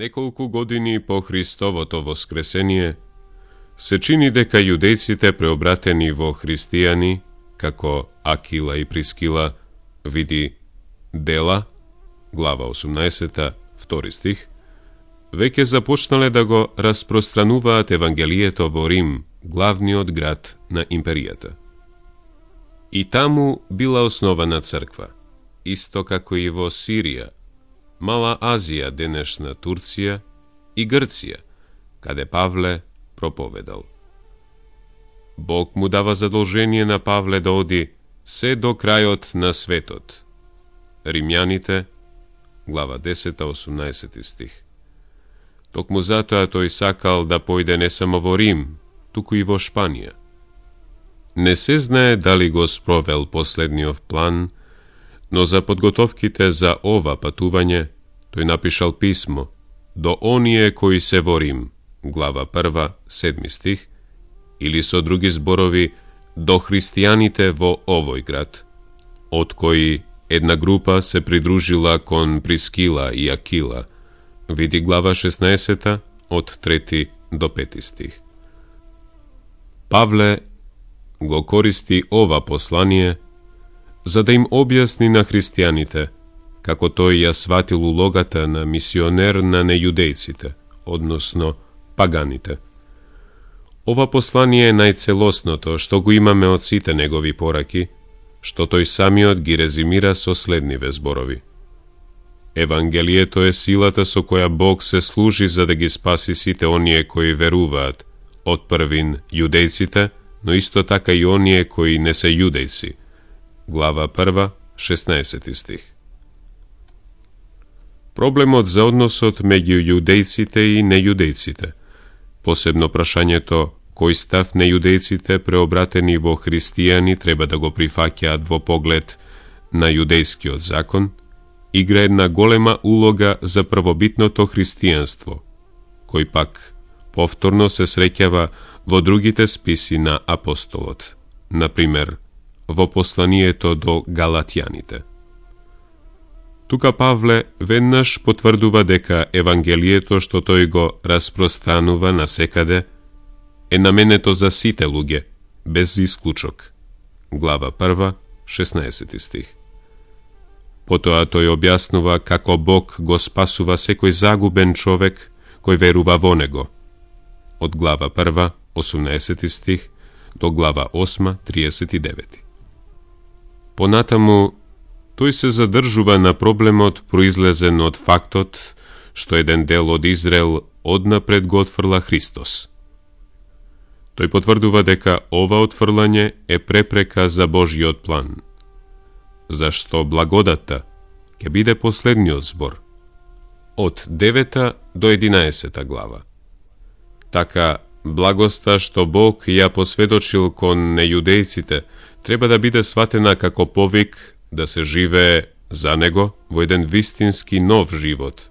Неколку години по Христовото воскресение, се чини дека јудејците преобратени во христијани, како Акила и Прискила, види Дела, глава 18, 2 стих, веќе започнале да го распространуваат Евангелието во Рим, главниот град на империјата. И таму била основана црква, исто како и во Сирија, Мала Азија, денешна Турција и Грција, каде Павле проповедал. Бог му дава задолжение на Павле да оди се до крајот на светот. Римјаните, глава 10, 18 стих. Токму затоа тој сакал да појде не само во Рим, туку и во Шпанија. Не се знае дали го спровел последниот план, но за подготовките за ова патување, тој напишал писмо до оние кои се во Рим, глава 1, 7 стих, или со други зборови, до христијаните во овој град, од кои една група се придружила кон Прискила и Акила, види глава 16, од 3 до 5 стих. Павле го користи ова послание за да им објасни на христијаните како тој ја сватил улогата на мисионер на нејудејците, односно паганите. Ова послание е најцелосното што го имаме од сите негови пораки, што тој самиот ги резимира со следниве зборови. Евангелието е силата со која Бог се служи за да ги спаси сите оние кои веруваат, од првин јудејците, но исто така и оние кои не се јудејци. Глава 1, 16 стих. Проблемот за односот меѓу јудејците и нејудејците, посебно прашањето кој став нејудејците преобратени во христијани треба да го прифаќаат во поглед на јудејскиот закон, игра една голема улога за првобитното христијанство, кој пак повторно се среќава во другите списи на апостолот, например, во посланието до Галатјаните. Тука Павле веднаш потврдува дека Евангелието што тој го распространува насекаде е наменето за сите луѓе, без исклучок. Глава 1, 16 стих. Потоа тој објаснува како Бог го спасува секој загубен човек кој верува во него. Од глава 1, 18 стих до глава 8, 39. Понатаму, тој се задржува на проблемот произлезен од фактот што еден дел од Израел однапред го отфрла Христос. Тој потврдува дека ова отфрлање е препрека за Божјиот план, зашто благодатта ќе биде последниот збор, од 9 до 11 глава. Така, благоста што Бог ја посведочил кон нејудејците треба да биде сватена како повик да се живее за него во еден вистински нов живот.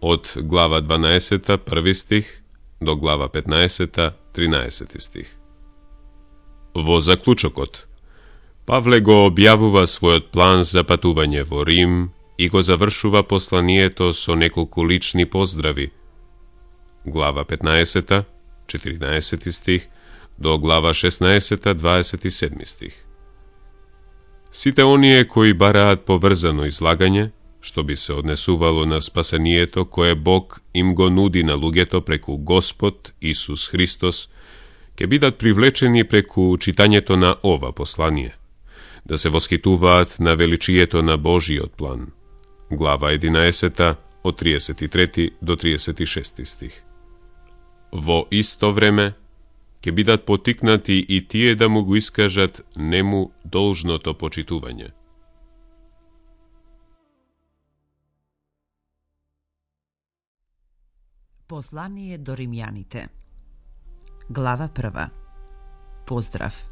Од глава 12, 1 стих, до глава 15, 13 стих. Во заклучокот, Павле го објавува својот план за патување во Рим и го завршува посланието со неколку лични поздрави. Глава 15, 14 стих, до глава 16, 27 стих. Сите оние кои бараат поврзано излагање, што би се однесувало на спасението кое Бог им го нуди на луѓето преку Господ Исус Христос, ќе бидат привлечени преку читањето на ова послание, да се восхитуваат на величието на Божиот план. Глава 11, од 33 до 36 стих. Во исто време, ќе бидат потикнати и тие да му го искажат нему должното почитување. Послание до римјаните. Глава 1. Поздрав.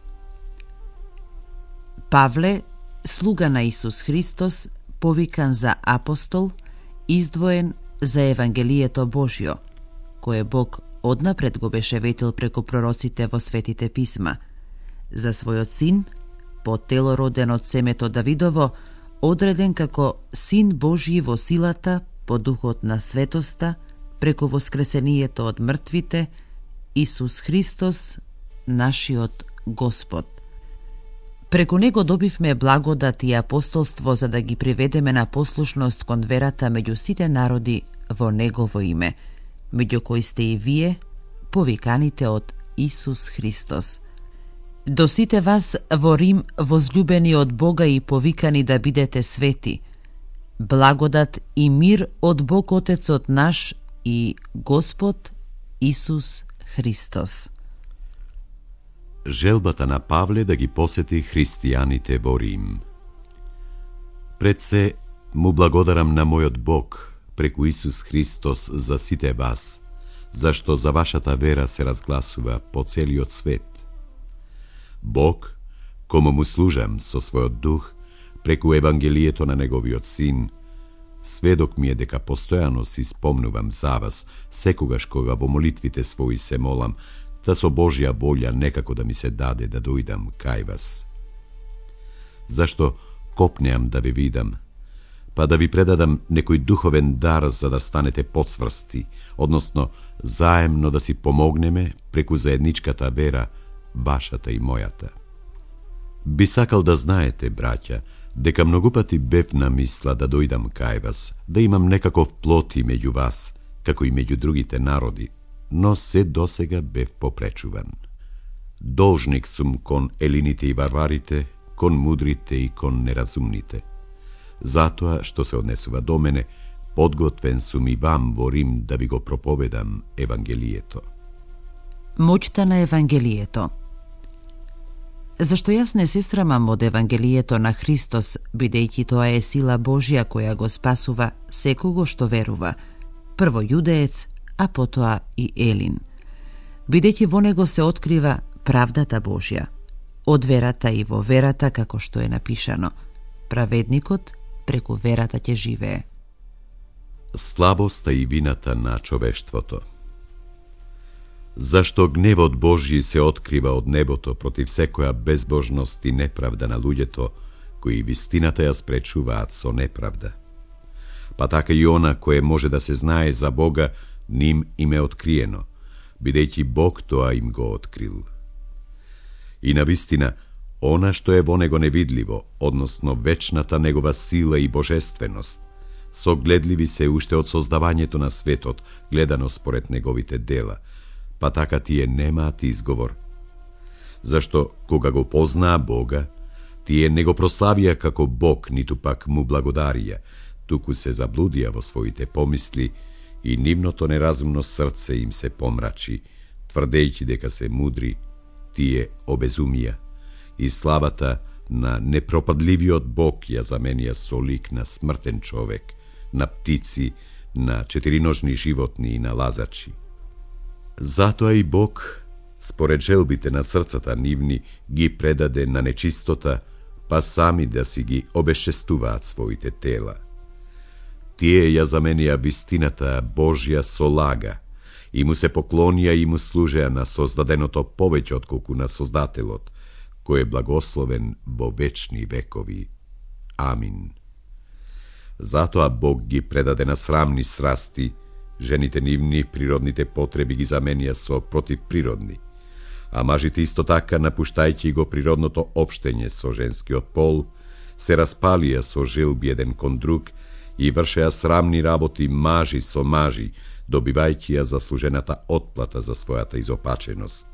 Павле, слуга на Исус Христос, повикан за апостол, издвоен за Евангелието Божјо, кое Бог однапред го беше ветил преку пророците во светите писма, за својот син, по тело роден од семето Давидово, одреден како син Божји во силата, по духот на светоста, преку воскресението од мртвите, Исус Христос, нашиот Господ. Преку него добивме благодат и апостолство за да ги приведеме на послушност кон верата меѓу сите народи во Негово име, меѓу кои сте и вие, повиканите од Исус Христос. До сите вас во Рим, возлюбени од Бога и повикани да бидете свети, благодат и мир од Бог Отецот наш и Господ Исус Христос. Желбата на Павле да ги посети христијаните во Рим. Пред се му благодарам на мојот Бог преку Исус Христос за сите вас, зашто за вашата вера се разгласува по целиот свет. Бог, кому му служам со својот дух, преку Евангелието на Неговиот Син, сведок ми е дека постојано си спомнувам за вас, секогаш кога во молитвите своји се молам, да со Божја волја некако да ми се даде да дојдам кај вас. Зашто копнеам да ви видам, па да ви предадам некој духовен дар за да станете потврсти, односно заемно да си помогнеме преку заедничката вера, вашата и мојата. Би сакал да знаете, браќа, дека многу пати бев на мисла да дојдам кај вас, да имам некаков плот и меѓу вас, како и меѓу другите народи, но се досега бев попречуван. Должник сум кон елините и варварите, кон мудрите и кон неразумните. Затоа што се однесува до мене, подготвен сум и вам во Рим да ви го проповедам Евангелието. Моќта на Евангелието. Зашто јас не се срамам од Евангелието на Христос, бидејќи тоа е сила Божја која го спасува секого што верува, прво јудеец, а потоа и елин. Бидејќи во него се открива правдата Божја, од верата и во верата, како што е напишано, праведникот преку верата ќе живее. Слабоста и вината на човештвото. Зашто гневот Божји се открива од небото против секоја безбожност и неправда на луѓето, кои вистината ја спречуваат со неправда. Па така и она кое може да се знае за Бога, ним им е откриено, бидејќи Бог тоа им го открил. И навистина, она што е во него невидливо, односно вечната негова сила и божественост, согледливи се уште од создавањето на светот, гледано според неговите дела, па така тие немаат изговор. Зашто, кога го познаа Бога, тие не го прославија како Бог, ниту пак му благодарија, туку се заблудија во своите помисли и нивното неразумно срце им се помрачи, тврдејќи дека се мудри, тие обезумија, и славата на непропадливиот Бог ја заменија со лик на смртен човек, на птици, на четириножни животни и на лазачи. Затоа и Бог, според желбите на срцата нивни, ги предаде на нечистота, па сами да си ги обесчестуваат своите тела. Тие ја заменија вистината Божја со лага, и му се поклонија и му служеа на создаденото повеќе отколку на Создателот, кој е благословен во вечни векови. Амин. Затоа Бог ги предаде на срамни срасти, жените нивни природните потреби ги заменија со противприродни, а мажите исто така, напуштајќи го природното општење со женскиот пол, се распалија со желби еден кон друг и вршеа срамни работи мажи со мажи, добивајќи ја заслужената отплата за својата изопаченост.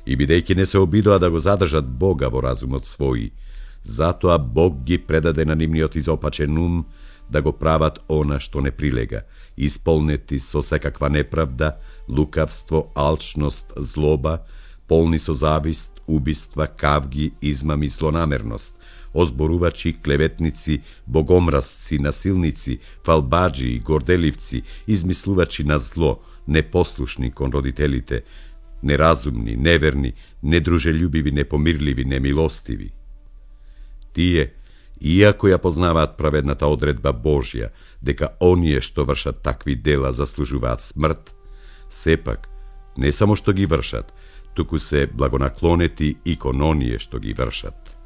И бидејќи не се обидоа да го задржат Бога во разумот свој, затоа Бог ги предаде на нивниот изопачен ум да го прават она што не прилега, исполнети со секаква неправда, лукавство, алчност, злоба, полни со завист, убиства, кавги, измами, злонамерност, озборувачи, клеветници, богомразци, насилници, фалбаджи и горделивци, измислувачи на зло, непослушни кон родителите, неразумни, неверни, недружелюбиви, непомирливи, немилостиви. Тие, иако ја познаваат праведната одредба Божја, дека оние што вршат такви дела заслужуваат смрт, сепак, не само што ги вршат, туку се благонаклонети и кон оние што ги вршат.